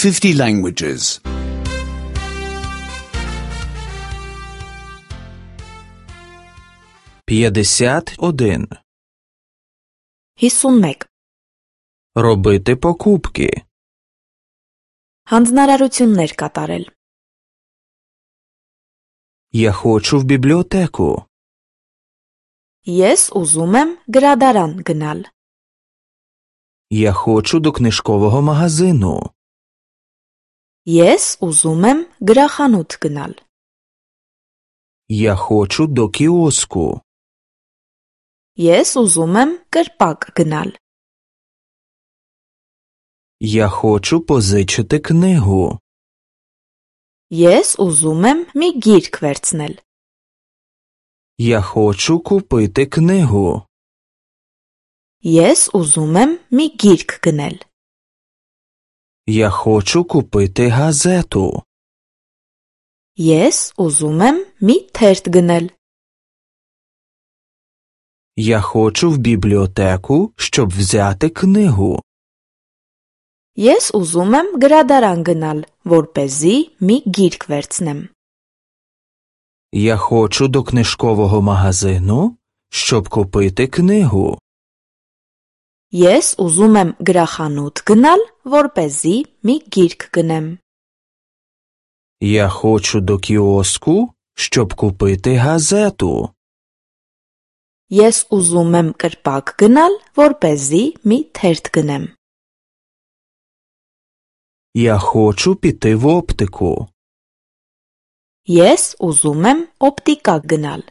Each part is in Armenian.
50 languages. 51. 51. Робити покупки. Հանձնարարություններ կատարել. Я хочу в библиотеку. Ես ուզում եմ գրադարան գնալ. Я хочу до книжкового магазину. Ես ուզում եմ գրախանութ գնալ. Я хочу до киоску. Ես ուզում եմ կրպակ գնալ. Я хочу позичити книгу. Ես ուզում եմ մի գիրք վերցնել. Я хочу купити книгу. Ես ուզում եմ մի գիրք գնել. Я хочу купити газету. Ես ուզում եմ մի թերթ գնել. Я хочу в бібліотеку, щоб взяти книгу. Ես ուզում եմ գրադարան գնալ, որպեսզի մի գիրք վերցնեմ. Я хочу до книжкового магазину, щоб купити книгу. Ես ուզում եմ գրախանութ գնալ, որպեսզի մի գիրք գնեմ. Я хочу до кіоску, щоб купити газету. Ես ուզում եմ կրպակ գնալ, որպեսզի մի թերթ գնեմ. Я хочу піти в оптику. Ես ուզում եմ օպտիկա գնալ.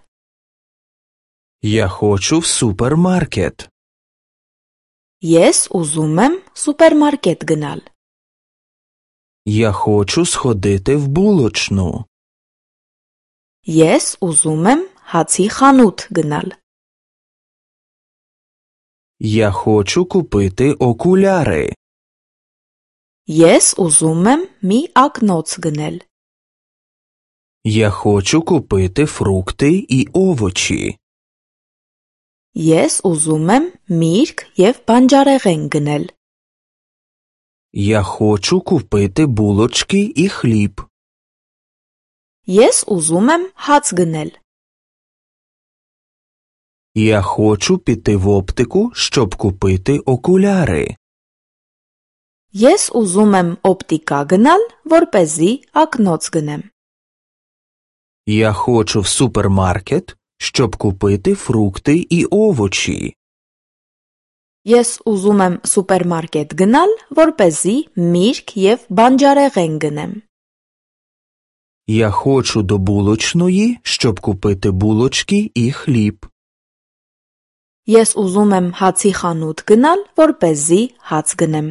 Я хочу в супермаркет. Ես ուզում եմ սուպերմարկետ գնալ. Я хочу сходити в булочну. Ես ուզում եմ հացի խանութ գնալ. Я хочу купити окуляри. Ես ուզում եմ մի ակնոց գնել. Я хочу купити фрукти і овочі. Ես ուզում եմ միրգ և բանջարեղեն գնել. Я хочу купити булочки і хліб. Ես ուզում եմ հաց գնել. Я хочу піти в оптику, щоб купити окуляри. Ես ուզում եմ օպտիկա գնալ, որպեսզի ակնոց գնեմ. Я хочу в супермаркет, щоб купити фрукти і овочі. Ես ուզում եմ սուպերմարկետ գնալ, որպեսզի միրգ և բանջարեղեն գնեմ. Я хочу до булочної, щоб купити булочки і хліб. Ես ուզում եմ հացի խանութ գնալ, որպեսզի հաց գնեմ.